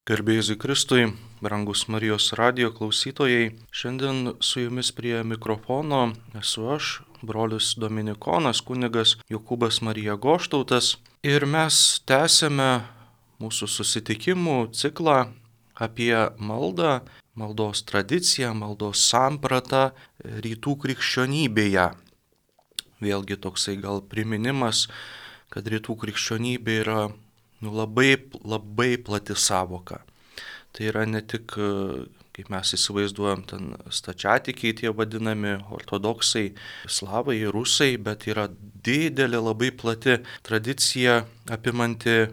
Garbėjai Kristui, brangus Marijos radijo klausytojai, šiandien su jumis prie mikrofono esu aš, brolis Dominikonas, kunigas Jokūbas Marija Goštautas, ir mes tęsiame mūsų susitikimų ciklą apie maldą, maldos tradiciją, maldos sampratą rytų krikščionybėje. Vėlgi toksai gal priminimas, kad rytų krikščionybė yra labai plati savoka. Tai yra ne tik, kaip mes įsivaizduojam, ten stačiatikiai tie vadinami, ortodoksai, slavai, rusai, bet yra didelė, labai plati tradicija apimanti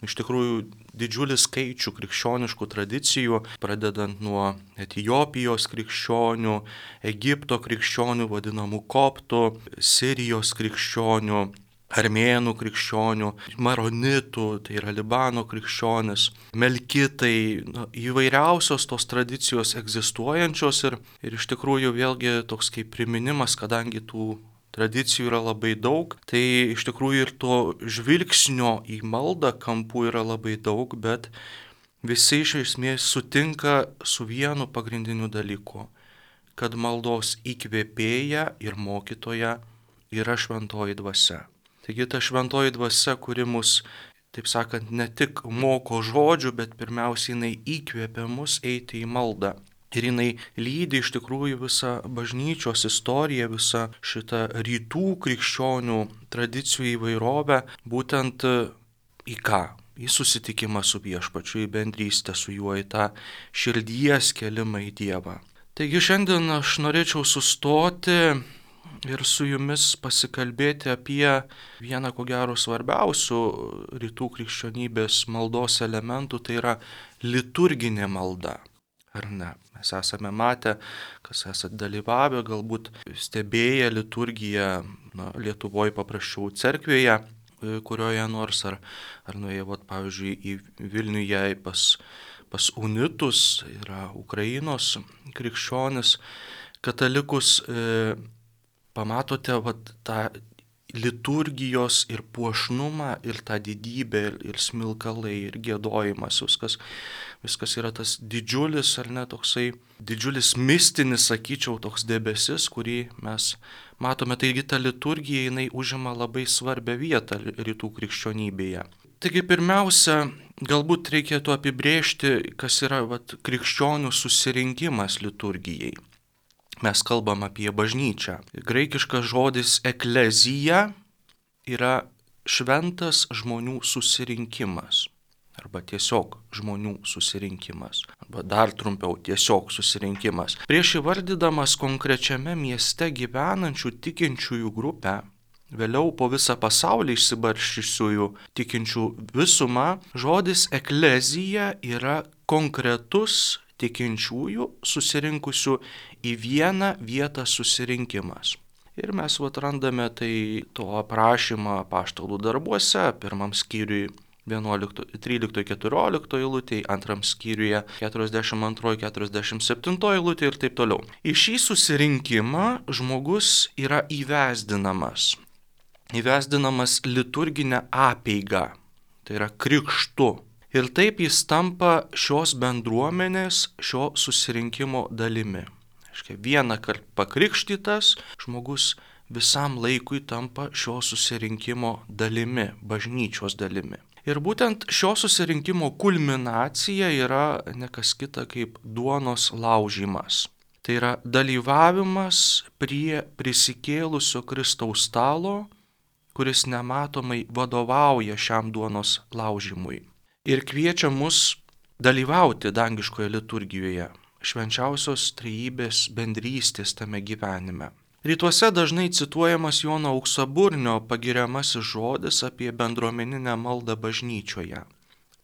iš tikrųjų didžiulį skaičių krikščioniškų tradicijų, pradedant nuo Etiopijos krikščionių, Egipto krikščionių, vadinamų koptų, Sirijos krikščionių, armėnų krikščionių, maronitų, tai yra Libano krikščionis, melkitai, įvairiausios tos tradicijos egzistuojančios ir iš tikrųjų vėlgi toks kaip priminimas, kadangi tų tradicijų yra labai daug, tai iš tikrųjų ir to žvilgsnio į maldą kampų yra labai daug, bet visi iš esmės sutinka su vienu pagrindiniu dalyku, kad maldos įkvėpėja ir mokytoja yra šventoji dvasia. Taigi ta šventoji dvasia, kuri mus, taip sakant, ne tik moko žodžių, bet pirmiausiai jinai įkvėpia mus eiti į maldą. Ir jinai lydi iš tikrųjų visą bažnyčios istoriją, visą šitą rytų krikščionių tradicijų įvairovę, būtent į ką? Į susitikimą su Viešpačiu, į bendrystę su juo, į tą širdies kėlimą į Dievą. Taigi šiandien aš norėčiau sustoti ir su jumis pasikalbėti apie vieną, ko gero, svarbiausių rytų krikščionybės maldos elementų, tai yra liturginė malda. Ar ne? Mes esame matę, kas esate dalyvavę, galbūt stebėję liturgiją Lietuvoje paprasčiau cerkvėje, kurioje nors, ar nuėję, pavyzdžiui, į Vilniuje pas unitus, yra Ukrainos krikščionis, katalikus, pamatote tą liturgijos ir puošnumą, ir tą didybę, ir smilkalai, ir giedojimas, viskas yra tas didžiulis, ar ne, toksai didžiulis mistinis, sakyčiau, toks debesis, kurį mes matome. Taigi ta liturgija, jinai užima labai svarbią vietą rytų krikščionybėje. Taigi pirmiausia, galbūt reikėtų apibrėžti, kas yra krikščionių susirinkimas liturgijai. Mes kalbam apie bažnyčią. Graikiškas žodis eklezija yra šventas žmonių susirinkimas. Arba tiesiog žmonių susirinkimas. Arba dar trumpiau, tiesiog susirinkimas. Prieš įvardydamas konkrečiame mieste gyvenančių tikinčiųjų grupę, vėliau po visą pasaulį išsibarsčiusiųjų tikinčių visumą, žodis eklezija yra konkretus tikinčiųjų susirinkusių į vieną vietą susirinkimas. Ir mes randame to aprašymą apaštalų darbuose, pirmam skyriui 13-14 eilutėje, antram skyriuje 42-47 eilutėje ir taip toliau. Į šį susirinkimą žmogus yra įvesdinamas liturginę apeigą, tai yra krikštu. Ir taip jis tampa šios bendruomenės, šio susirinkimo dalimi. Vieną kartą pakrikštytas žmogus visam laikui tampa šio susirinkimo dalimi, bažnyčios dalimi. Ir būtent šio susirinkimo kulminacija yra ne kas kita kaip duonos laužymas. Tai yra dalyvavimas prie prisikėlusio Kristaus stalo, kuris nematomai vadovauja šiam duonos laužymui. Ir kviečia mus dalyvauti dangiškoje liturgijoje, švenčiausios trejybės bendrystės tame gyvenime. Rytuose dažnai cituojamas Jono Auksaburnio pagiriamasis žodis apie bendruomeninę maldą bažnyčioje.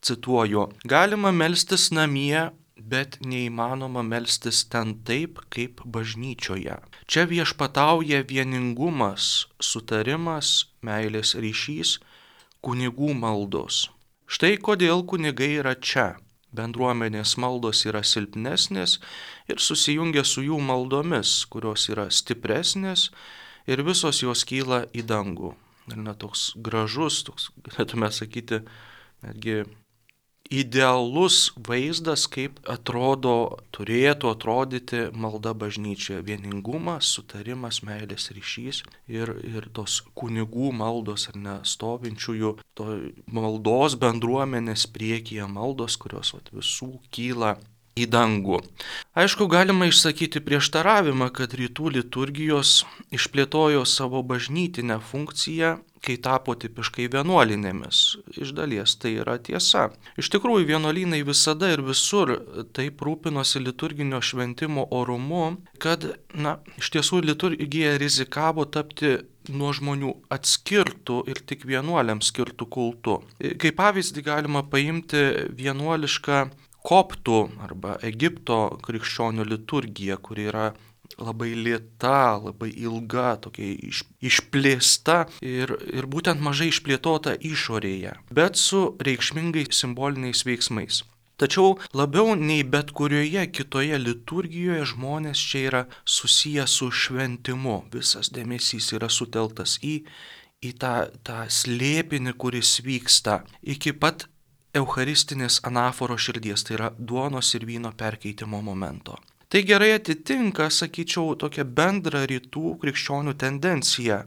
Cituoju: galima melstis namie, bet neįmanoma melstis ten taip, kaip bažnyčioje. Čia viešpatauja vieningumas, sutarimas, meilės ryšys, kunigų maldos. Štai kodėl kunigai yra čia. Bendruomenės maldos yra silpnesnės ir susijungia su jų maldomis, kurios yra stipresnės ir visos jos kyla į dangų. Ir toks gražus, galėtume sakyti, netgi idealus vaizdas, kaip turėtų atrodyti malda bažnyčioje. Vieningumas, sutarimas, meilės ryšys ir tos kunigų maldos ar ne stovinčiųjų, to maldos bendruomenės priekyje maldos, kurios visų kyla į dangų. Aišku, galima išsakyti prieštaravimą, kad rytų liturgijos išplėtojo savo bažnytinę funkciją, kai tapo tipiškai vienuolinėmis. Iš dalies tai yra tiesa. Iš tikrųjų, vienuolynai visada ir visur taip rūpinosi liturginio šventimo orumu, kad, iš tiesų liturgija rizikavo tapti nuo žmonių atskirtų ir tik vienuoliams skirtų kultų. Kaip pavyzdį galima paimti vienuolišką koptų arba Egipto krikščionių liturgija, kuri yra labai lėta, labai ilga, tokia išplėsta ir būtent mažai išplėtota išorėje, bet su reikšmingais simboliniais veiksmais. Tačiau labiau nei bet kurioje kitoje liturgijoje žmonės čia yra susiję su šventimu. Visas dėmesys yra sutelktas į tą slėpinį, kuris vyksta iki pat eucharistinės anaforos širdies, tai yra duonos ir vyno perkeitimo momento. Tai gerai atitinka, sakyčiau, tokią bendrą rytų krikščionių tendenciją.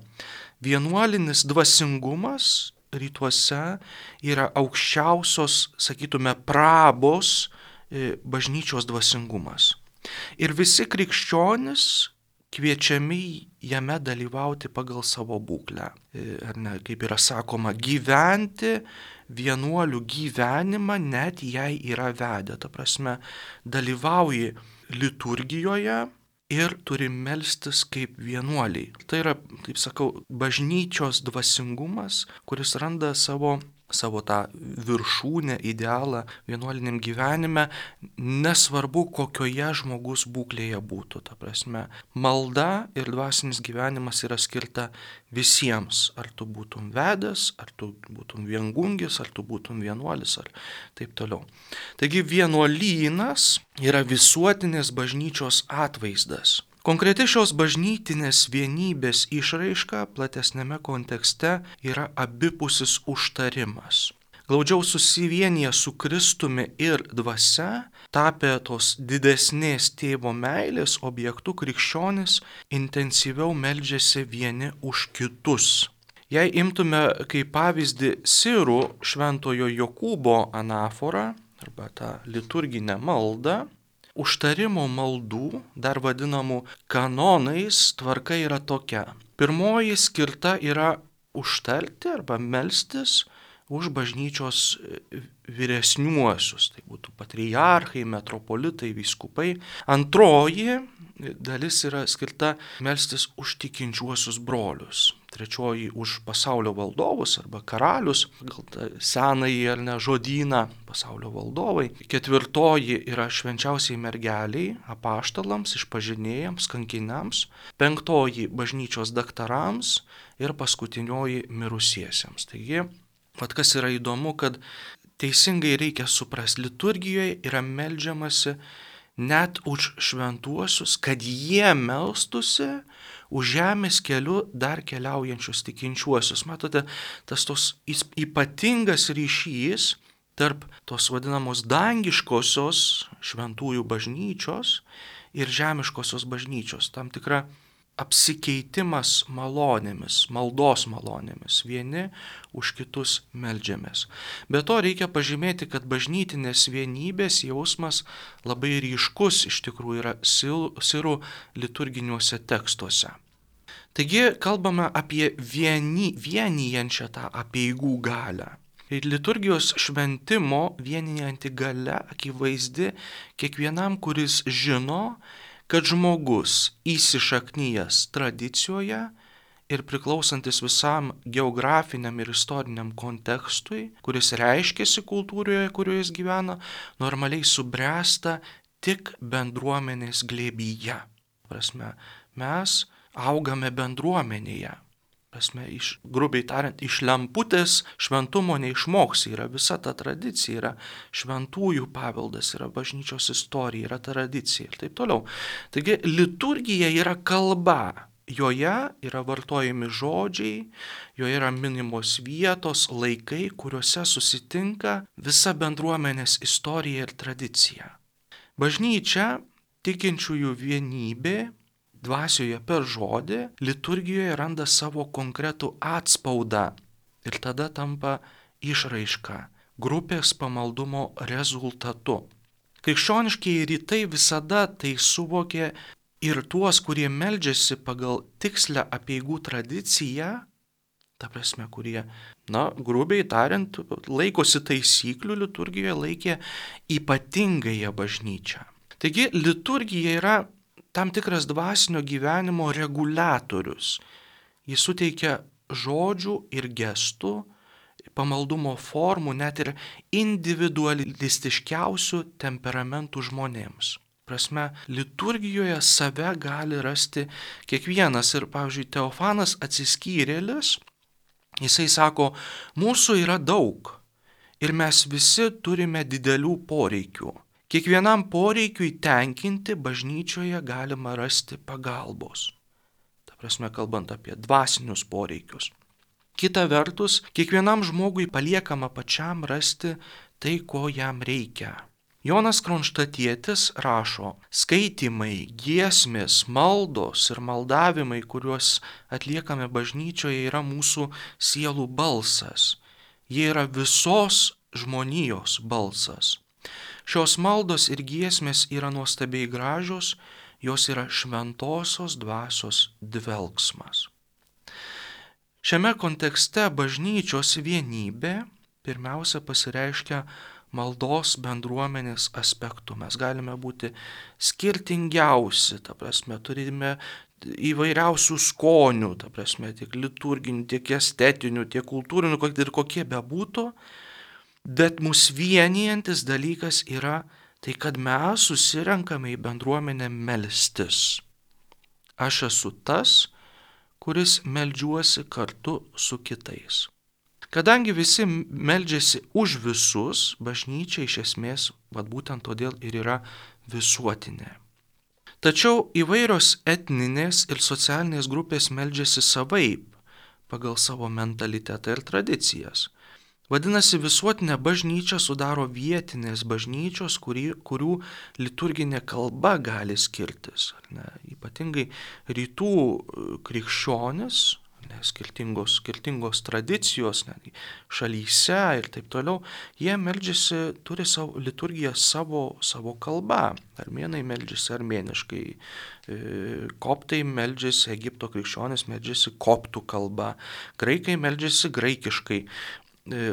Vienuolinis dvasingumas rytuose yra aukščiausios, sakytume, prabos bažnyčios dvasingumas. Ir visi krikščionys kviečiami jame dalyvauti pagal savo būklę. Ar ne, kaip yra sakoma, gyventi vienuolių gyvenimą, net jei yra vedę. Ta prasme, dalyvauji liturgijoje ir turi melstis kaip vienuoliai. Tai yra, kaip sakau, bažnyčios dvasingumas, kuris randa savo tą viršūnę, idealą vienuoliniam gyvenime, nesvarbu, kokioje žmogus būklėje būtų. Ta prasme, malda ir dvasinis gyvenimas yra skirta visiems. Ar tu būtum vedęs, ar tu būtum viengungis, ar tu būtum vienuolis, ar taip toliau. Taigi vienuolynas yra visuotinės bažnyčios atvaizdas. Konkreti šios bažnytinės vienybės išraiška platesnėme kontekste yra abipusis užtarimas. Glaudžiau susivienyje su Kristumi ir dvasia, tapę tos didesnės tėvo meilės objektų, krikščionys intensyviau meldžiasi vieni už kitus. Jei imtume kaip pavyzdį sirų šventojo Jokūbo anaforą arba tą liturginę maldą, užtarimo maldų, dar vadinamų kanonais, tvarka yra tokia. Pirmoji skirta yra užtarti arba melstis už bažnyčios vyresniuosius, tai būtų patriarchai, metropolitai, vyskupai. Antroji dalis yra skirta melstis už tikinčiuosius brolius. Trečioji už pasaulio valdovus arba karalius, gal tą senąjį ar ne žodyną pasaulio valdovai. Ketvirtoji yra švenčiausiai mergeliai, apaštalams, išpažinėjams, kankiniams. Penktoji bažnyčios daktarams ir paskutinioji mirusiesiems. Taigi, kas yra įdomu, kad teisingai reikia suprasti, liturgijoje yra meldžiamasi net už šventuosius, kad jie melstusi už žemės keliu dar keliaujančius tikinčiuosius. Matote, tas tos ypatingas ryšys tarp tos vadinamos dangiškosios šventųjų bažnyčios ir žemiškosios bažnyčios. Tam tikra apsikeitimas malonėmis, maldos malonėmis. Vieni už kitus meldžiamės. Be to reikia pažymėti, kad bažnytinės vienybės jausmas labai ryškus iš tikrųjų yra sirų liturginiuose tekstuose. Taigi kalbame apie vienijančią tą apeigų galią. Ir liturgijos šventimo vienijanti galia akivaizdi kiekvienam, kuris žino, kad žmogus įsišaknyjęs tradicijoje ir priklausantis visam geografiniam ir istoriniam kontekstui, kuris reiškiasi kultūroje, kurioje jis gyvena, normaliai subręsta tik bendruomenės glėbyje. Prasme, mes augame bendruomenėje. Prasme, grubiai tariant, iš lemputės šventumo neišmoksi, yra visa ta tradicija, yra šventųjų paveldas, yra bažnyčios istorija, yra tradicija ir taip toliau. Taigi liturgija yra kalba, joje yra vartojami žodžiai, joje yra minimos vietos, laikai, kuriuose susitinka visa bendruomenės istorija ir tradicija. Bažnyčia, tikinčiųjų vienybė, dvasioje per žodį, liturgijoje randa savo konkretų atspaudą ir tada tampa išraiška, grupės pamaldumo rezultatu. Krikščioniškieji rytai visada tai suvokė ir tuos, kurie meldžiasi pagal tikslę apeigų tradiciją, ta prasme, kurie, grubiai tariant, laikosi taisyklių liturgijoje, laikė ypatingąją bažnyčią. Taigi liturgija yra tam tikras dvasinio gyvenimo reguliatorius. Jis suteikia žodžių ir gestų, pamaldumo formų, net ir individualistiškiausių temperamentų žmonėms. Prasme, liturgijoje save gali rasti kiekvienas. Ir, pavyzdžiui, Teofanas Atsiskyrėlis, jisai sako, mūsų yra daug ir mes visi turime didelių poreikių. Kiekvienam poreikiui tenkinti bažnyčioje galima rasti pagalbos. Ta prasme, kalbant apie dvasinius poreikius. Kita vertus, kiekvienam žmogui paliekama pačiam rasti tai, ko jam reikia. Jonas Kronštatietis rašo, skaitymai, giesmės, maldos ir maldavimai, kuriuos atliekame bažnyčioje, yra mūsų sielų balsas. Jie yra visos žmonijos balsas. Šios maldos ir giesmės yra nuostabiai gražios, jos yra šventosios dvasios dvelksmas. Šiame kontekste bažnyčios vienybė pirmiausia pasireiškia maldos bendruomenės aspektu. Mes galime būti skirtingiausi, ta prasme, turime įvairiausių skonių, ta prasme, tiek liturginių, tiek estetinių, tiek kultūrinių, ir kokie bebūtų, bet mus vienijantis dalykas yra tai, kad mes susirenkame į bendruomenę melstis. Aš esu tas, kuris meldžiuosi kartu su kitais. Kadangi visi meldžiasi už visus, bažnyčia iš esmės, būtent todėl ir yra visuotinė. Tačiau įvairios etninės ir socialinės grupės meldžiasi savaip, pagal savo mentalitetą ir tradicijas. Vadinasi, visuotinę bažnyčią sudaro vietinės bažnyčios, kurių liturginė kalba gali skirtis. Ypatingai rytų krikščionis, skirtingos tradicijos, šalyse ir taip toliau, jie meldžiasi, turi savo liturgiją savo kalbą. Armėnai meldžiasi armėniškai, koptai meldžiasi, Egipto krikščionis meldžiasi koptų kalba, graikai meldžiasi graikiškai.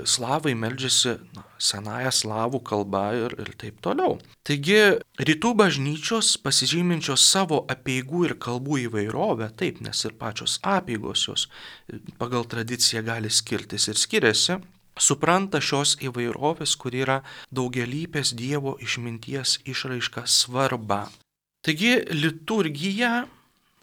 Slavai meldžiasi senąją slavų kalbą ir taip toliau. Taigi rytų bažnyčios pasižyminčios savo apeigų ir kalbų įvairovę, taip, nes ir pačios apeigos jos pagal tradiciją gali skirtis ir skiriasi, supranta šios įvairovės, kur yra daugialypės Dievo išminties išraiška svarbą. Taigi liturgija,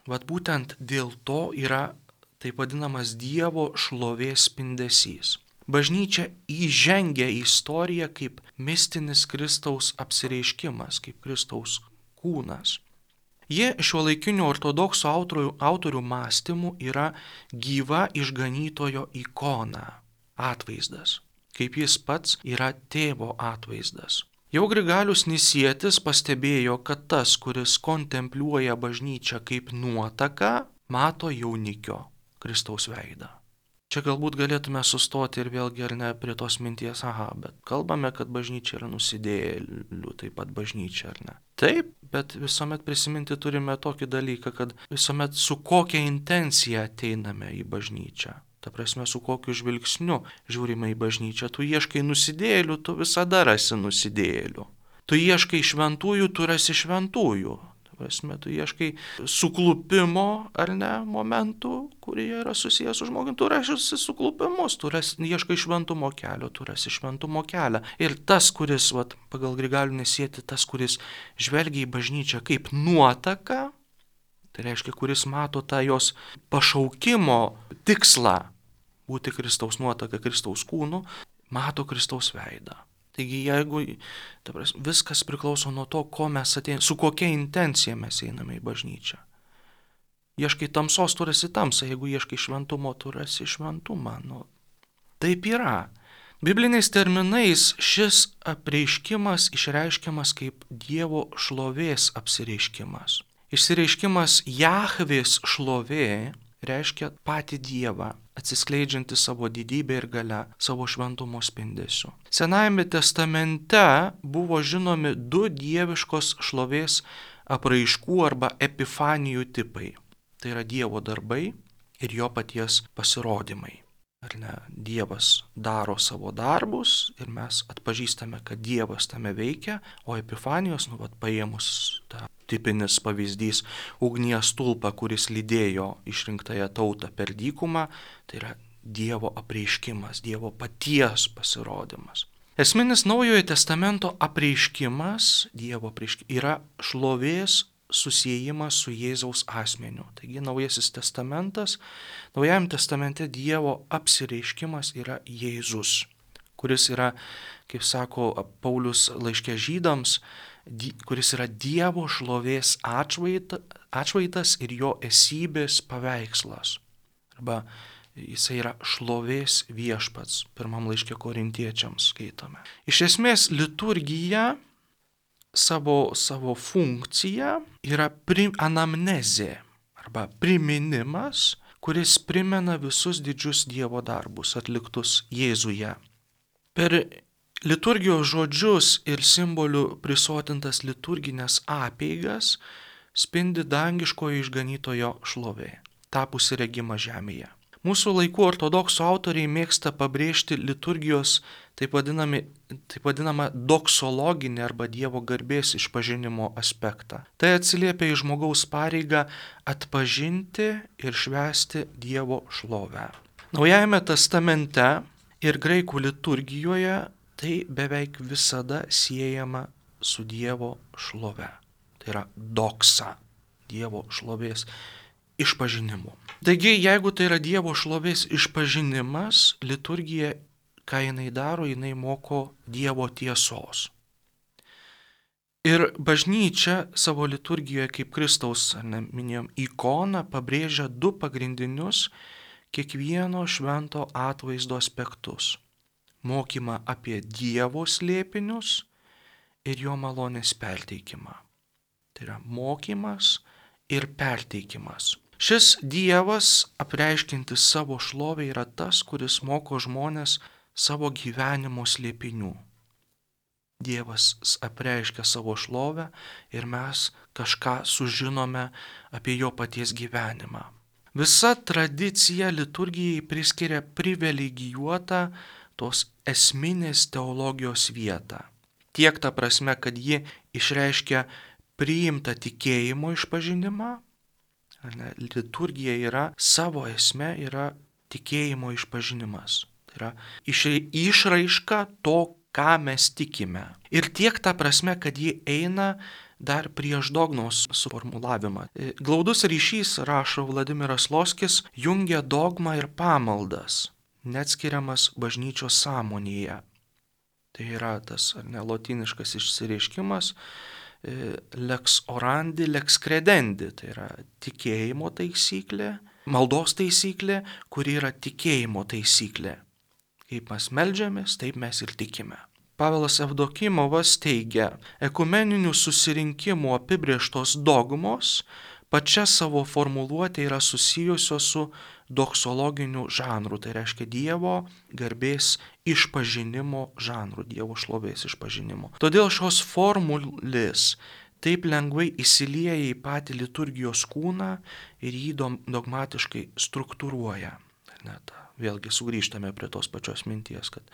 būtent dėl to yra taip vadinamas Dievo šlovės spindesys. Bažnyčia įžengia į istoriją kaip mistinis Kristaus apsireiškimas, kaip Kristaus kūnas. Jie šiuolaikinių ortodoksų autorių mąstymų yra gyva išganytojo ikona, atvaizdas, kaip jis pats yra tėvo atvaizdas. Jau Grigalius Nisietis pastebėjo, kad tas, kuris kontempliuoja bažnyčią kaip nuotaką, mato jaunikio Kristaus veidą. Čia galbūt galėtume sustoti ir vėlgi ar ne prie tos minties, bet kalbame, kad bažnyčia yra nusidėjėlių, taip pat bažnyčia, ar ne? Taip, bet visuomet prisiminti turime tokį dalyką, kad visuomet su kokia intencija ateiname į bažnyčią. Ta prasme, su kokiu žvilgsniu žiūrime į bažnyčią. Tu ieškai nusidėjėlių, tu visada rasi nusidėjėlių. Tu ieškai šventųjų, tu rasi šventųjų. Prasme, tu ieškai suklupimo, ar ne, momentų, kurie yra susijęs su žmogumi, tu rasi suklupimus, tu ieškai šventumo kelio, tu rasi šventumo kelią. Ir tas, kuris, pagal Grigalių Nisietį, tas, kuris žvelgia į bažnyčią kaip nuotaką, tai reiškia, kuris mato tą jos pašaukimo tikslą būti Kristaus nuotaka, Kristaus kūnu, mato Kristaus veidą. Taigi jeigu viskas priklauso nuo to, ko mes ateiname, su kokia intencija mes einame į bažnyčią. Ieškai tamsos, tu rasi tamsą, jeigu ieškai šventumo, tu rasi šventumą. Taip yra. Bibliniais terminais šis apreiškimas išreiškiamas kaip Dievo šlovės apsireiškimas. Išsireiškimas Jahvės šlovė reiškia patį Dievą, atsiskleidžiantį savo didybę ir galią, savo šventumo spindesiu. Senajame testamente buvo žinomi du dieviškos šlovės apraiškų arba epifanijų tipai. Tai yra Dievo darbai ir jo paties pasirodymai. Ar ne? Dievas daro savo darbus ir mes atpažįstame, kad Dievas tame veikia, o epifanijos, paėmus tą tipinis pavyzdys ugnies stulpą, kuris lydėjo išrinktąją tautą per dykumą, tai yra Dievo apreiškimas, Dievo paties pasirodymas. Esminis Naujojo testamento apreiškimas, Dievo apreiškimas, yra šlovės susiejimas su Jėzaus asmeniu. Taigi Naujasis testamentas, Naujajame testamente Dievo apsireiškimas yra Jėzus, kuris yra, kaip sako Paulius laiške Žydams, kuris yra Dievo šlovės atšvaitas ir jo esybės paveikslas. Arba jisai yra šlovės viešpats, pirmam laiške Korintiečiams skaitome. Iš esmės liturgija savo funkciją yra anamnezė arba priminimas, kuris primena visus didžius Dievo darbus atliktus Jėzuje. Per liturgijos žodžius ir simbolių prisotintas liturginės apeigas spindi dangiškojo išganytojo šlovė, tapusi regima žemėje. Mūsų laikų ortodoksų autoriai mėgsta pabrėžti liturgijos taip vadinamą doksologinį arba Dievo garbės išpažinimo aspektą. Tai atsiliepia į žmogaus pareigą atpažinti ir švęsti Dievo šlovę. Naujajame testamente ir graikų liturgijoje tai beveik visada siejama su Dievo šlove. Tai yra doksa, Dievo šlovės išpažinimu. Taigi, jeigu tai yra Dievo šlovės išpažinimas, liturgija, ką jinai daro, jinai moko Dievo tiesos. Ir bažnyčia savo liturgijoje kaip Kristaus, minėjom, ikoną pabrėžia du pagrindinius kiekvieno švento atvaizdo aspektus. Mokymą apie Dievo slėpinius ir jo malonės perteikimą. Tai yra mokymas ir perteikimas. Šis Dievas, apreiškintis savo šlovę, yra tas, kuris moko žmonės savo gyvenimo slėpinių. Dievas apreiškia savo šlovę ir mes kažką sužinome apie jo paties gyvenimą. Visa tradicija liturgijai priskiria privilegijuotą tos esminės teologijos vietą. Tiek ta prasme, kad ji išreiškia priimtą tikėjimo išpažinimą. Liturgija yra savo esme, yra tikėjimo išpažinimas. Tai yra išraiška to, ką mes tikime. Ir tiek ta prasme, kad ji eina dar prieš dogmos suformulavimą. Glaudus ryšys, rašo Vladimiras Loskis, jungia dogmą ir pamaldas, neatskiriamas bažnyčios sąmonėje. Tai yra tas lotyniškas išsireiškimas lex orandi, lex credendi, tai yra tikėjimo taisyklė, maldos taisyklė, kuri yra tikėjimo taisyklė. Kaip mes meldžiamės, taip mes ir tikime. Pavelas Evdokimovas teigia, ekumeninių susirinkimų apibrėžtos dogmos pačia savo formuluotė yra susijusios su doksologiniu žanru, tai reiškia Dievo garbės išpažinimo žanru, Dievo šlovės išpažinimo. Todėl šios formulės taip lengvai įsilieja į patį liturgijos kūną ir jį dogmatiškai struktūruoja. Vėlgi sugrįžtame prie tos pačios minties, kad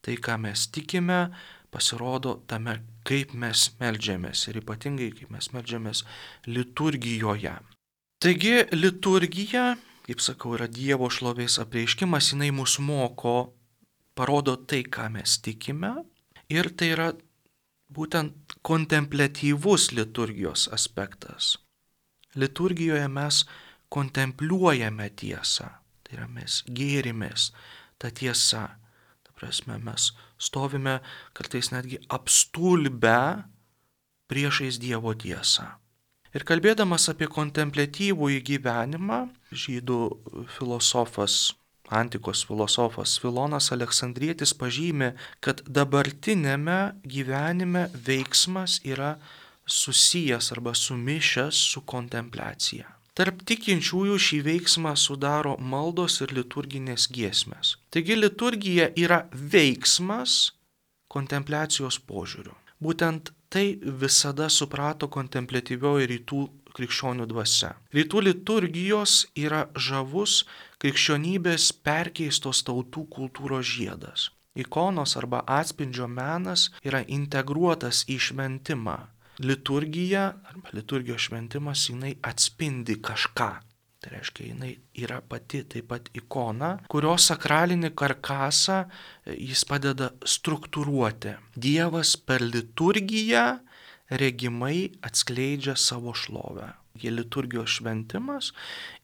tai, ką mes tikime, pasirodo tame, kaip mes meldžiamės ir ypatingai, kaip mes meldžiamės liturgijoje. Taigi liturgija, kaip sakau, yra Dievo šlovės apreiškimas, jinai mus moko, parodo tai, ką mes tikime, ir tai yra būtent kontempliatyvus liturgijos aspektas. Liturgijoje mes kontempliuojame tiesą, tai yra mes gėrimės tą tiesą. Ta prasme, mes stovime kartais netgi apstulbę priešais Dievo tiesą. Ir kalbėdamas apie kontempliatyvųjį gyvenimą, žydų filosofas, antikos filosofas Filonas Aleksandrietis pažymi, kad dabartinėme gyvenime veiksmas yra susijęs arba sumišęs su kontempliacija. Tarp tikinčiųjų šį veiksmą sudaro maldos ir liturginės giesmės. Taigi liturgija yra veiksmas kontempliacijos požiūriu. Būtent tai visada suprato kontempliatyvioji rytų krikščionių dvasia. Rytų liturgijos yra žavus krikščionybės perkeistos tautų kultūros žiedas. Ikonos arba atspindžio menas yra integruotas į šventimą. Liturgija arba liturgijos šventimas jinai atspindi kažką. Tai reiškia, jinai yra pati taip pat ikona, kurios sakralinį karkasą jis padeda struktūruoti. Dievas per liturgiją regimai atskleidžia savo šlovę. Liturgijos šventimas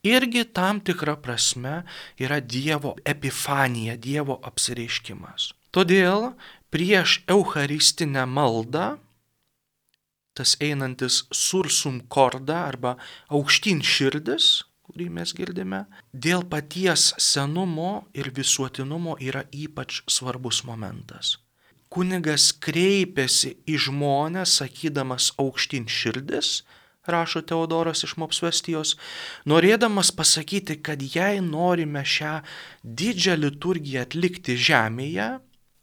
irgi tam tikra prasme yra Dievo epifanija, Dievo apsireiškimas. Todėl prieš eucharistinę maldą tas einantis sursum korda arba aukštyn širdis, kurį mes girdime, dėl paties senumo ir visuotinumo yra ypač svarbus momentas. Kunigas kreipiasi į žmonės, sakydamas aukštyn širdis, rašo Teodoras iš Mopsvestijos, norėdamas pasakyti, kad jei norime šią didžią liturgiją atlikti žemėje,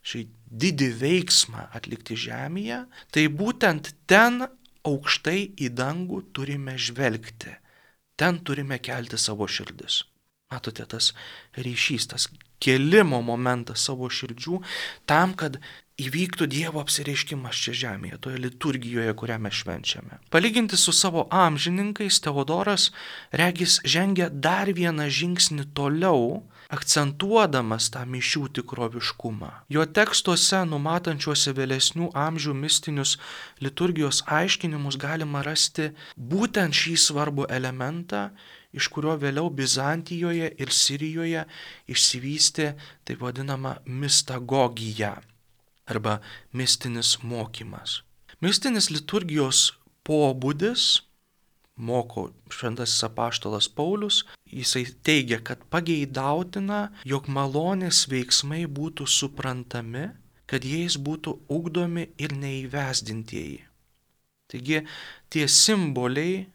šį didį veiksmą atlikti žemėje, tai būtent ten aukštai į dangų turime žvelgti. Ten turime kelti savo širdis. Matote, tas ryšys, tas kelimo momentas savo širdžių tam, kad įvyktų Dievo apsireiškimas čia žemėje, toje liturgijoje, kurią mes švenčiame. Palyginti su savo amžininkais, Teodoras regis žengia dar vieną žingsnį toliau, akcentuodamas tą mišių tikroviškumą. Jo tekstuose, numatančiuose vėlesnių amžių mistinius liturgijos aiškinimus, galima rasti būtent šį svarbų elementą, iš kurio vėliau Bizantijoje ir Sirijoje išsivystė taip vadinama mistagogija arba mistinis mokymas. Mistinis liturgijos pobūdis, moko šventasis apaštalas Paulius, jisai teigia, kad pageidautina, jog malonės veiksmai būtų suprantami, kad jais būtų ugdomi ir neįvesdintieji. Taigi tie simboliai,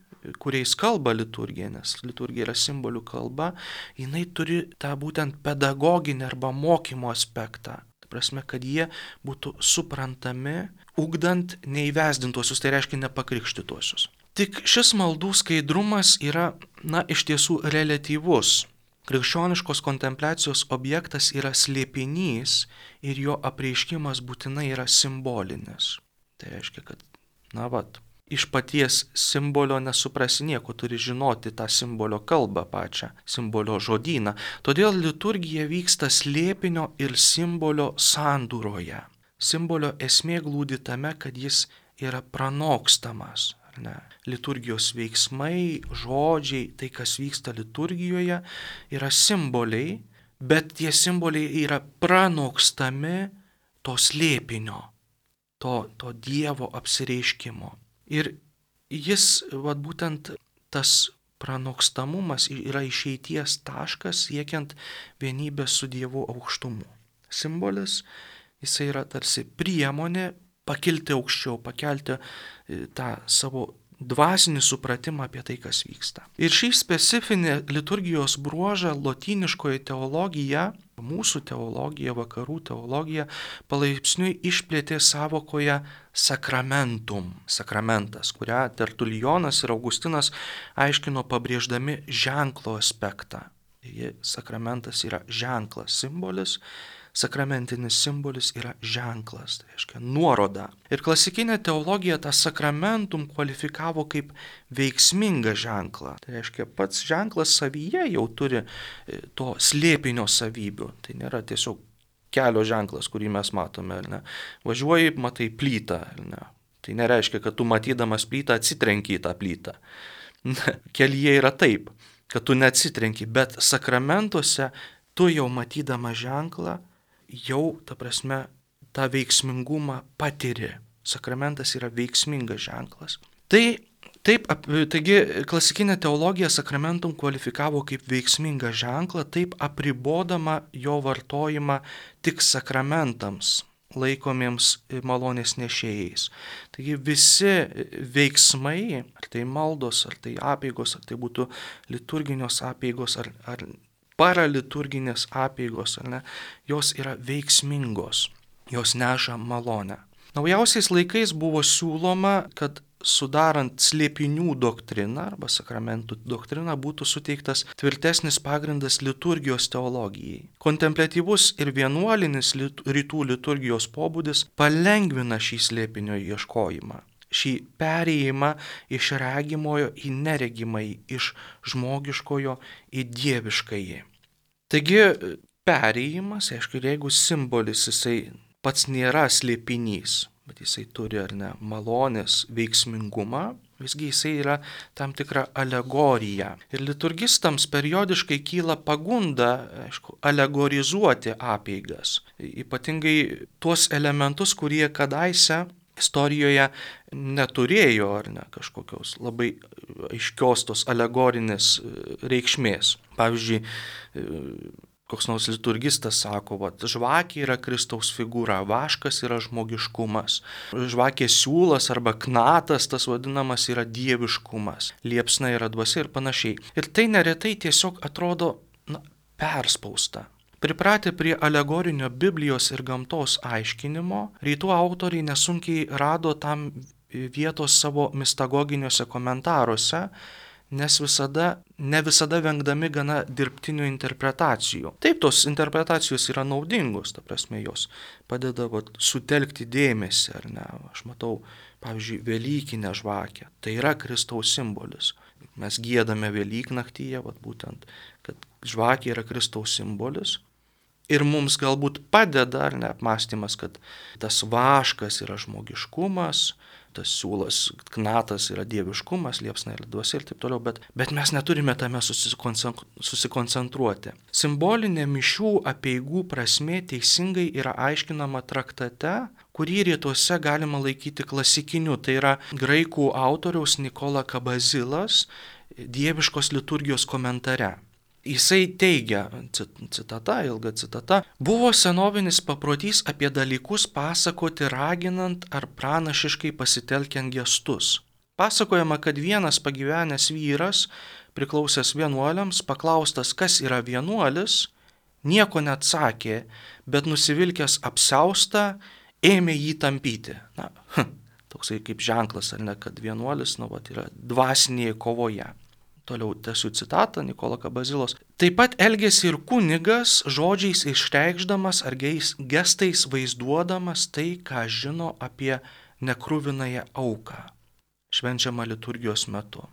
kuriais kalba liturgija, nes liturgija yra simbolių kalba, jinai turi tą būtent pedagoginį arba mokymo aspektą. Ta prasme, kad jie būtų suprantami, ugdant neįvesdintuosius, tai reiškia nepakrikštytuosius. Tik šis maldų skaidrumas yra, iš tiesų reliatyvus. Krikščioniškos kontempliacijos objektas yra slėpinys ir jo apreiškimas būtinai yra simbolinis. Tai reiškia, kad, iš paties simbolio nesuprasi nieko, turi žinoti tą simbolio kalbą pačią, simbolio žodyną. Todėl liturgija vyksta slėpinio ir simbolio sandūroje. Simbolio esmė glūdi tame, kad jis yra pranokstamas. Liturgijos veiksmai, žodžiai, tai kas vyksta liturgijoje, yra simboliai, bet tie simboliai yra pranokstami to slėpinio, to Dievo apsireiškimo. Ir jis, būtent tas pranokstamumas yra išeities taškas siekiant vienybės su Dievu aukštumu. Simbolis, jisai yra tarsi priemonė pakilti aukščiau, pakelti tą savo dvasinį supratimą apie tai, kas vyksta. Ir šį specifinį liturgijos bruožą lotyniškoji teologija, mūsų teologija, vakarų teologija, palaipsniui išplėtė savokoje sakramentum, sakramentas, kurią Tertulijonas ir Augustinas aiškino pabrėždami ženklo aspektą. Sakramentas yra ženklas, simbolis. Sakramentinis simbolis yra ženklas, tai reiškia nuoroda. Ir klasikinė teologija tą sakramentum kvalifikavo kaip veiksmingą ženklą. Tai reiškia, pats ženklas savyje jau turi to slėpinio savybių. Tai nėra tiesiog kelio ženklas, kurį mes matome. Važiuoji, matai plytą. Tai nereiškia, kad tu matydamas plytą atsitrenki į tą plytą. Kelyje yra taip, kad tu neatsitrenki, bet sakramentuose tu jau matydama ženklą, jau, tą veiksmingumą patiri. Sakramentas yra veiksmingas ženklas. Tai Taip, taigi klasikinė teologija sakramentum kvalifikavo kaip veiksmingą ženklą, taip apribodama jo vartojimą tik sakramentams laikomiems malonės nešėjais. Taigi visi veiksmai, ar tai maldos, ar tai apeigos, ar tai būtų liturginios apeigos, ar paraliturginės apeigos, ar ne, jos yra veiksmingos, jos neša malonę. Naujausiais laikais buvo siūloma, kad sudarant slėpinių doktriną arba sakramentų doktriną būtų suteiktas tvirtesnis pagrindas liturgijos teologijai. Kontempliatyvus ir vienuolinis rytų liturgijos pobūdis palengvina šį slėpinio ieškojimą, šį perėjimą iš regimojo į neregimąjį, iš žmogiškojo į dieviškąjį. Taigi perėjimas, aišku, jeigu simbolis jisai pats nėra slėpinys, bet jisai turi ar ne malonės veiksmingumą, visgi jisai yra tam tikra alegorija. Ir liturgistams periodiškai kyla pagunda, aišku, alegorizuoti apeigas. Ypatingai tuos elementus, kurie kadaise istorijoje neturėjo ar ne kažkokios labai aiškios tos alegorinės reikšmės. Pavyzdžiui, koks nors liturgistas sako, žvakė yra Kristaus figūra, vaškas yra žmogiškumas, žvakės siūlas arba knatas, tas vadinamas, yra dieviškumas, liepsna yra dvasia ir panašiai. Ir tai neretai tiesiog atrodo perspausta. Pripratę prie alegorinio Biblijos ir gamtos aiškinimo, rytų autoriai nesunkiai rado tam vietos savo mistagoginiuose komentaruose, nes ne visada vengdami gana dirbtinių interpretacijų. Taip, tos interpretacijos yra naudingos, ta prasme, jos padeda sutelkti dėmesį, ar ne? Aš matau, pavyzdžiui, Velykinę žvakę, tai yra Kristaus simbolis. Mes giedame Velyknaktyje, būtent, kad žvakė yra Kristaus simbolis. Ir mums galbūt padeda, ar ne, apmąstymas, kad tas vaškas yra žmogiškumas, tas siūlas, knatas yra dieviškumas, liepsna yra dvasia ir taip toliau, bet mes neturime tame susikoncentruoti. Simbolinė mišių apeigų prasmė teisingai yra aiškinama traktate, kurį rytuose galima laikyti klasikiniu, tai yra graikų autoriaus Nikola Kabazilas dieviškos liturgijos komentare. Jisai teigia, citata, ilga citata, buvo senovinis paprotys apie dalykus pasakoti raginant ar pranašiškai pasitelkiant gestus. Pasakojama, kad vienas pagyvenęs vyras, priklausęs vienuoliams, paklaustas, kas yra vienuolis, nieko neatsakė, bet nusivilkęs apsiaustą, ėmė jį tampyti. Toksai kaip ženklas, ar ne, kad vienuolis yra dvasinėje kovoje. Toliau tęsiu citatą Nikolo Kabazilos. Taip pat elgėsi ir kunigas, žodžiais išreikšdamas ar gestais vaizduodamas tai, ką žino apie nekruvinąją auką, švenčiamą liturgijos metu.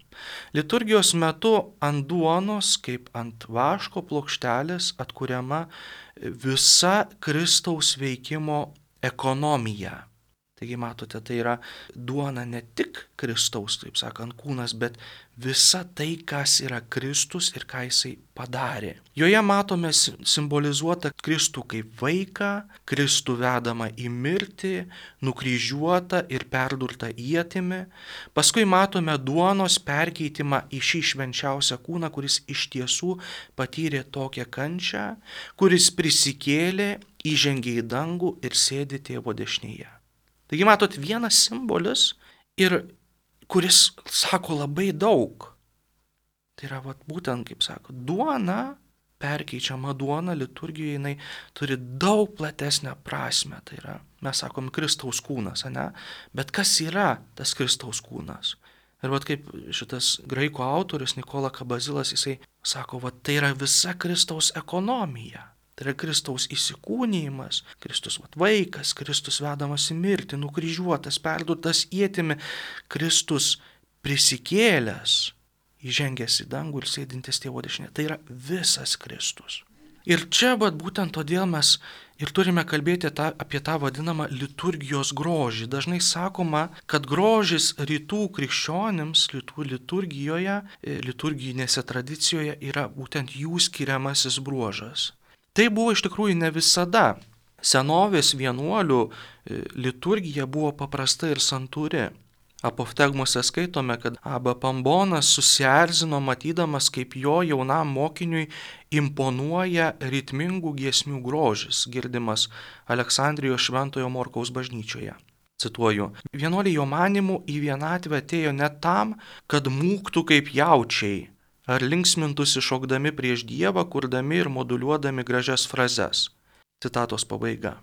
Liturgijos metu ant duonos, kaip ant vaško plokštelės, atkuriama visa Kristaus veikimo ekonomija. Taigi matote, tai yra duona ne tik Kristaus, taip sakant, kūnas, bet visa tai, kas yra Kristus ir ką jisai padarė. Joje matome simbolizuotą Kristų kaip vaiką, Kristų vedamą į mirtį, nukryžiuotą ir perdurtą ietimi. Paskui matome duonos perkeitimą į šį švenčiausią kūną, kuris iš tiesų patyrė tokią kančią, kuris prisikėlė, įžengė į dangų ir sėdi Tėvo dešinėje. Taigi matot, vienas simbolis, ir kuris sako labai daug. Tai yra būtent, kaip sako, duona, perkeičiama duona liturgijoje, jinai turi daug platesnę prasme. Tai yra, mes sakom, Kristaus kūnas, ne? Bet kas yra tas Kristaus kūnas? Ir kaip šitas graikų autorius Nikola Kabazilas, jisai sako, tai yra visa Kristaus ekonomija. Tai yra Kristaus įsikūnijimas, Kristus vaikas, Kristus vedamas į mirtį, nukryžiuotas, perdurtas ietimi, Kristus prisikėlęs, įžengęs į dangų ir sėdintis Tėvo dešinėje. Tai yra visas Kristus. Ir čia būtent todėl mes ir turime kalbėti apie tą vadinamą liturgijos grožį. Dažnai sakoma, kad grožis rytų krikščionims, rytų liturgijoje, liturginėse tradicijoje yra būtent jų skiriamasis bruožas. Tai buvo iš tikrųjų ne visada. Senovės vienuolių liturgija buvo paprasta ir santūri. Apoftegmose skaitome, kad Abba Pambonas susierzino matydamas, kaip jo jaunam mokiniui imponuoja ritmingų giesmių grožis, girdimas Aleksandrijos Šventojo Morkaus bažnyčioje. Cituoju, vienuoliai jo manimų į vienatvę atėjo ne tam, kad mūktų kaip jaučiai, ar linksmintųsi šokdami prieš Dievą, kurdami ir moduliuodami gražias frazes. Citatos pabaiga.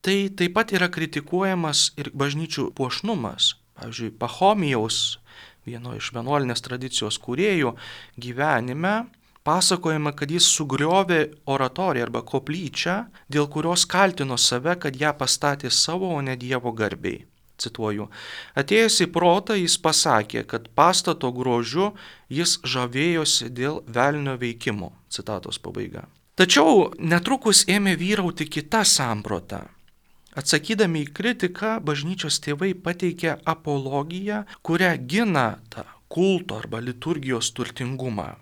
Tai taip pat yra kritikuojamas ir bažnyčių puošnumas. Pavyzdžiui, Pachomijaus, vieno iš vienuolinės tradicijos kūrėjų, gyvenime pasakojama, kad jis sugriovė oratoriją arba koplyčią, dėl kurios kaltino save, kad ją pastatė savo, o ne Dievo garbei. Cituoju, atėjęs į protą jis pasakė, kad pastato grožiu jis žavėjosi dėl velnio veikimo. Citatos pabaiga. Tačiau netrukus ėmė vyrauti kita samprata. Atsakydami į kritiką, bažnyčios tėvai pateikė apologiją, kurią gina tą kulto arba liturgijos turtingumą.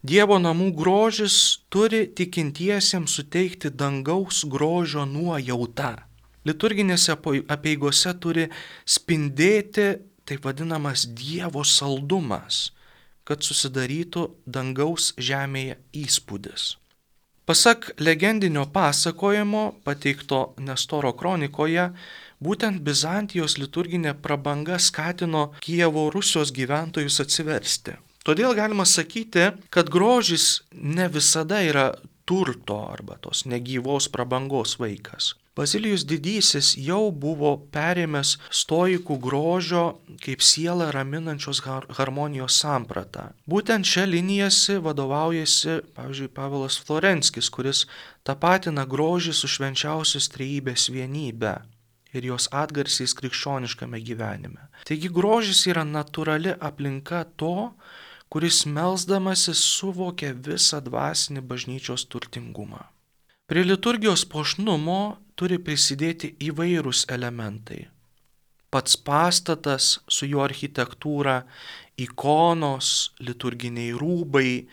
Dievo namų grožis turi tikintiesiems suteikti dangaus grožio nuojautą. Liturginėse apeigose turi spindėti taip vadinamas Dievo saldumas, kad susidarytų dangaus žemėje įspūdis. Pasak legendinio pasakojimo, pateikto Nestoro kronikoje, būtent Bizantijos liturginė prabanga skatino Kijevo Rusijos gyventojus atsiversti. Todėl galima sakyti, kad grožis ne visada yra turto arba tos negyvos prabangos vaikas. Bazilijus Didysis jau buvo perėmęs stoikų grožio kaip sielą raminančios harmonijos sampratą. Būtent šią liniją vadovaujasi, pavyzdžiui, Pavelas Florenskis, kuris tapatina grožį su švenčiausios trejybės vienybe ir jos atgarsiais krikščioniškame gyvenime. Taigi grožis yra natūrali aplinka to, kuris melsdamasis suvokia visą dvasinį bažnyčios turtingumą. Prie liturgijos puošnumo turi prisidėti įvairūs elementai. Pats pastatas su jo architektūra, ikonos, liturginiai rūbai,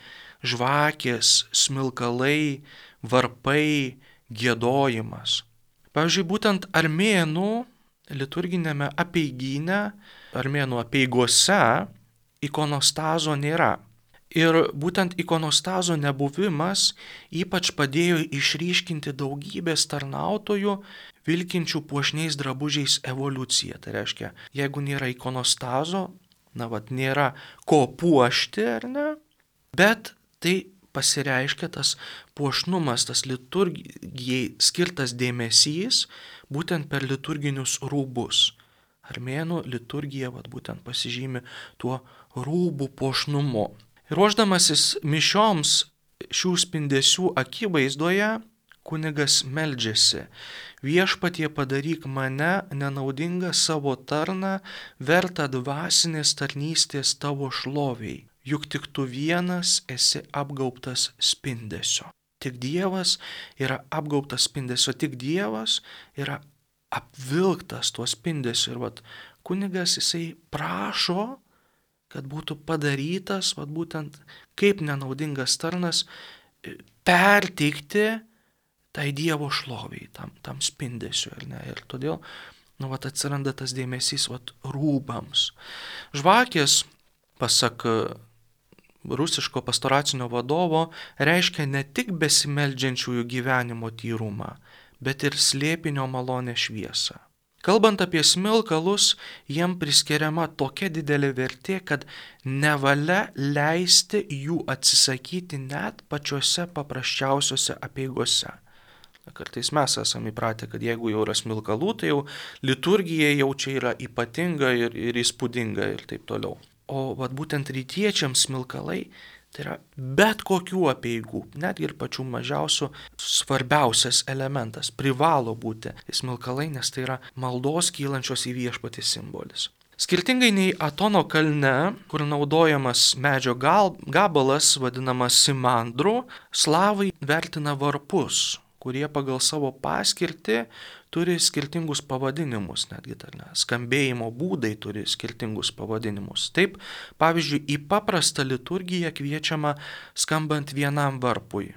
žvakės, smilkalai, varpai, giedojimas. Pavyzdžiui, būtent armėnų liturginėme apeigyne, armėnų apeigose ikonostazo nėra. Ir būtent ikonostazo nebuvimas ypač padėjo išryškinti daugybės tarnautojų vilkinčių puošniais drabužiais evoliuciją. Tai reiškia, jeigu nėra ikonostazo, nėra ko puošti, ar ne? Bet tai pasireiškia tas puošnumas, tas liturgijai skirtas dėmesys būtent per liturginius rūbus. Armėnų liturgija būtent pasižymi tuo rūbų puošnumu. Ruošdamasis mišioms šių spindesių akivaizdoje, kunigas meldžiasi: viešpatie padaryk mane nenaudingą savo tarną, vertą dvasinės tarnystės tavo šloviai, juk tik tu vienas esi apgaubtas spindesio. Tik Dievas yra apgaubtas spindesio, tik Dievas yra apvilktas tuo spindesiu. Ir kunigas jisai prašo, kad būtų padarytas, būtent kaip nenaudingas tarnas, perteikti tai Dievo šloviai, tam spindesiu. Ir todėl atsiranda tas dėmesys rūbams. Žvakės, pasak rusiško pastoracinio vadovo, reiškia ne tik besimeldžiančiųjų gyvenimo tyrumą, bet ir slėpinio malonę šviesą. Kalbant apie smilkalus, jiem priskiriama tokia didelė vertė, kad nevalia leisti jų atsisakyti net pačiose paprasčiausiose apeigose. Kartais mes esame įpratę, kad jeigu jau yra smilkalų, tai jau liturgija jau čia yra ypatinga ir įspūdinga ir taip toliau. O būtent rytiečiams smilkalai tai yra bet kokių apeigų, netgi ir pačių mažiausių, svarbiausias elementas, privalo būti smilkalai, nes tai yra maldos kylančios į viešpatį simbolis. Skirtingai nei Atono kalne, kur naudojamas medžio gabalas, vadinamas simandru, slavai vertina varpus, kurie pagal savo paskirtį turi skirtingus pavadinimus, netgi skambėjimo būdai turi skirtingus pavadinimus. Taip, pavyzdžiui, į paprastą liturgiją kviečiama skambant vienam varpui.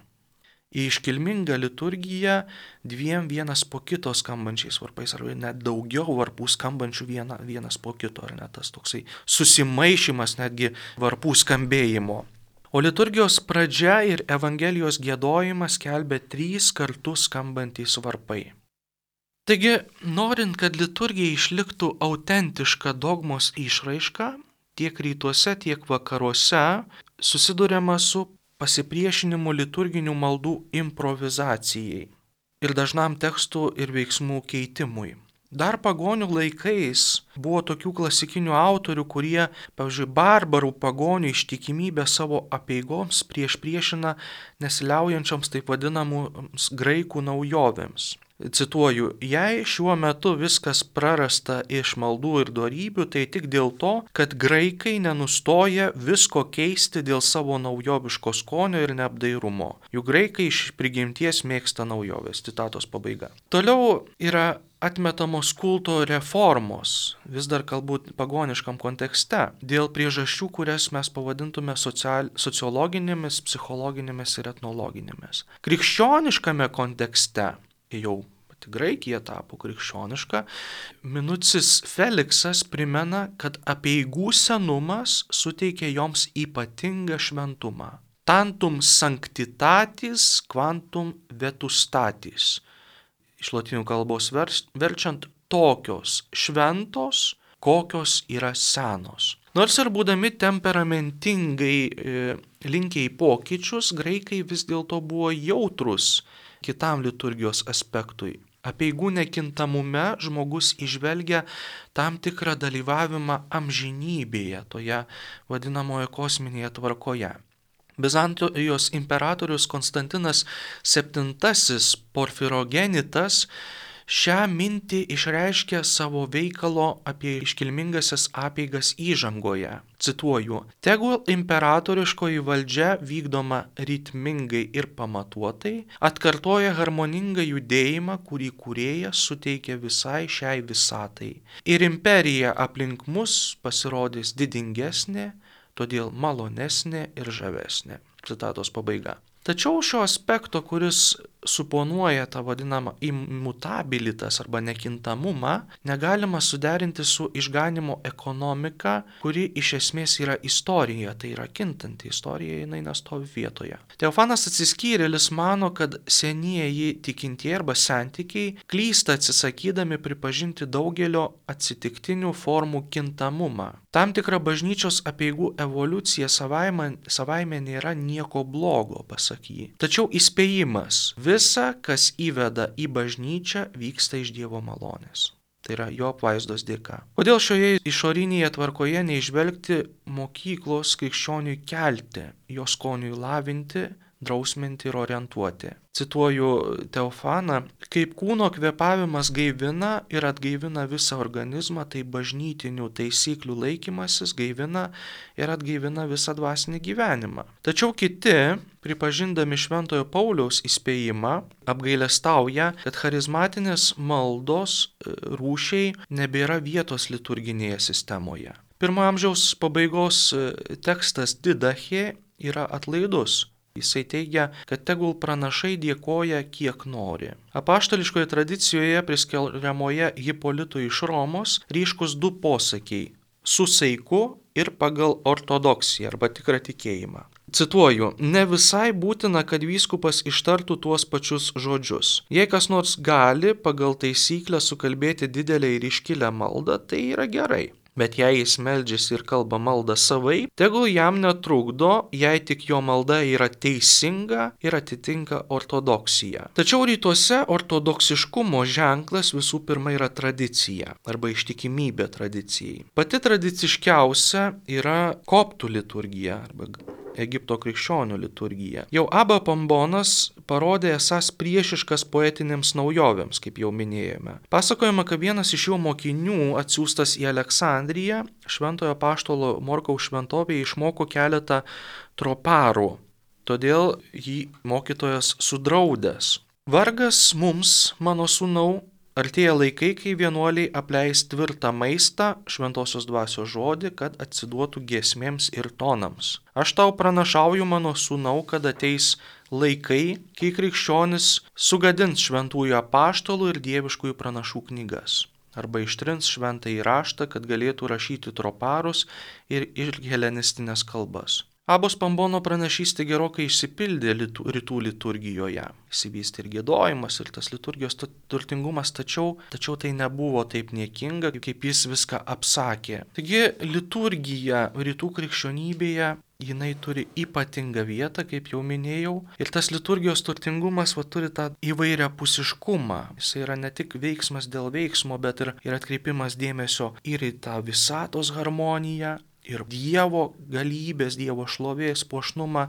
į iškilmingą liturgiją dviem vienas po kito skambančiais varpais, arba net daugiau varpų skambančių vienas po kito, ar ne tas toksai susimaišymas netgi varpų skambėjimo. O liturgijos pradžia ir Evangelijos giedojimas skelbia 3 kartus skambantys varpai. Taigi, norint, kad liturgija išliktų autentiška dogmos išraiška, tiek rytuose, tiek vakaruose susiduriama su pasipriešinimu liturginių maldų improvizacijai ir dažnam tekstų ir veiksmų keitimui. Dar pagonių laikais buvo tokių klasikinių autorių, kurie, pavyzdžiui, barbarų pagonių ištikimybę savo apeigoms priešina nesiliaujančioms taip vadinamoms graikų naujovėms. Cituoju, jei šiuo metu viskas prarasta iš maldų ir dorybių, tai tik dėl to, kad graikai nenustoja visko keisti dėl savo naujoviško skonio ir neapdairumo. Juk graikai iš prigimties mėgsta naujoves. Citatos pabaiga. Toliau yra atmetamos kulto reformos, vis dar galbūt pagoniškam kontekste, dėl priežasčių, kurias mes pavadintume sociologinėmis, psichologinėmis ir etnologinėmis. Krikščioniškame kontekste, jau pati Graikija tapo krikščioniška, Minucis Feliksas primena, kad apeigų senumas suteikia joms ypatingą šventumą. Tantum sanctitatis quantum vetustatis. Iš lotynų kalbos verčiant tokios šventos, kokios yra senos. Nors ir būdami temperamentingai linkę į pokyčius, graikai vis dėlto buvo jautrus kitam liturgijos aspektui. Apeigų nekintamume žmogus įžvelgia tam tikrą dalyvavimą amžinybėje, toje vadinamoje kosminėje tvarkoje. Bizantijos imperatorius Konstantinas VII Porfirogenitas šią mintį išreiškė savo veikalo apie iškilmingasias apeigas įžangoje. Cituoju, tegul imperatoriškoji valdžia vykdoma ritmingai ir pamatuotai, atkartoja harmoningą judėjimą, kurį kūrėjas suteikia visai šiai visatai. Ir imperija aplink mus pasirodys didingesnė, todėl malonesnė ir žavesnė. Citatos pabaiga. Tačiau šio aspekto, kuris suponuoja tą vadinamą immutabilitas arba nekintamumą, negalima suderinti su išganimo ekonomika, kuri iš esmės yra istorija, tai yra kintanti istorija, jinai nestovi vietoje. Teofanas Atsiskyrėlis mano, kad senieji tikintieji arba sentikiai klysta atsisakydami pripažinti daugelio atsitiktinių formų kintamumą. Tam tikra bažnyčios apeigų evoliucija savaime nėra nieko blogo, pasak jį. Tačiau įspėjimas, visa, kas įveda į bažnyčią, vyksta iš Dievo malonės. Tai yra jo apvaizdos dėka. Kodėl šioje išorinėje tvarkoje neižvelgti mokyklos krikščioniui kelti, jo skoniui lavinti, drausminti ir orientuoti? Cituoju Teofaną, kaip kūno kvėpavimas gaivina ir atgaivina visą organizmą, tai bažnytinių taisyklių laikymasis gaivina ir atgaivina visą dvasinį gyvenimą. Tačiau kiti, pripažindami Šventojo Pauliaus įspėjimą, apgailestauja, kad charizmatinės maldos rūšiai nebėra vietos liturginėje sistemoje. Pirmo amžiaus pabaigos tekstas Didachė yra atlaidus. Jisai teigia, kad tegul pranašai dėkoja kiek nori. Apaštališkoje tradicijoje priskiriamoje Hipolitui iš Romos ryškus 2 posakiai – su saiku ir pagal ortodoksiją arba tikrą tikėjimą. Cituoju, ne visai būtina, kad vyskupas ištartų tuos pačius žodžius. Jei kas nors gali pagal taisyklę sukalbėti didelę ir iškilę maldą, tai yra gerai. Bet jei jis meldžiasi ir kalba maldą savai, tegul jam netrukdo, jei tik jo malda yra teisinga ir atitinka ortodoksiją. Tačiau rytuose ortodoksiškumo ženklas visų pirma yra tradicija arba ištikimybė tradicijai. Pati tradiciškiausia yra koptų liturgija arba Egipto krikščionių liturgija. Jau Abba Pombonas parodė esąs priešiškas poetinėms naujovėms, kaip jau minėjome. Pasakojama, kad vienas iš jo mokinių atsiųstas į Aleksandriją, šventojo apaštalo Morkaus šventovėje išmoko keletą troparų, todėl jį mokytojas sudraudęs. Vargas mums, mano sūnau, Artėja laikai, kai vienuoliai apleis tvirtą maistą, šventosios dvasios žodį, kad atsiduotų giesmėms ir tonams. Aš tau pranašauju, mano sūnau, kad ateis laikai, kai krikščionis sugadins šventųjų apaštalų ir dieviškųjų pranašų knygas. Arba ištrins šventąjį raštą, kad galėtų rašyti troparus ir helenistinės kalbas. Abos Pambono pranašystė gerokai išsipildė rytų liturgijoje. Įsivystė ir giedojimas, ir tas liturgijos turtingumas, tačiau tai nebuvo taip niekinga, kaip jis viską apsakė. Taigi liturgija rytų krikščionybėje, jinai turi ypatingą vietą, kaip jau minėjau, ir tas liturgijos turtingumas turi tą įvairiapusiškumą. Jis yra ne tik veiksmas dėl veiksmo, bet ir atkreipimas dėmesio ir į tą visatos harmoniją, ir Dievo galybės, Dievo šlovės, puošnumą,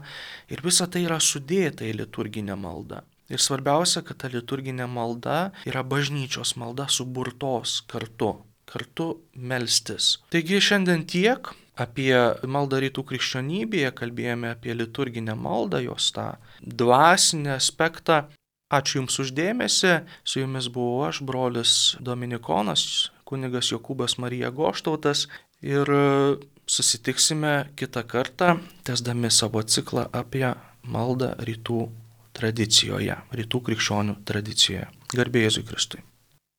ir visa tai yra sudėta į liturginę maldą. Ir svarbiausia, kad ta liturginė malda yra bažnyčios malda suburtos kartu melstis. Taigi šiandien tiek apie maldą rytų krikščionybėje, kalbėjome apie liturginę maldą, jos tą dvasinį aspektą. Ačiū Jums uždėmesi, su Jumis buvau aš, brolis Dominikonas, kunigas Jokūbas Marija Goštautas, ir susitiksime kitą kartą, tęsdami savo ciklą apie maldą rytų tradicijoje, rytų krikščionių tradicijoje. Garbė Jėzui Kristui.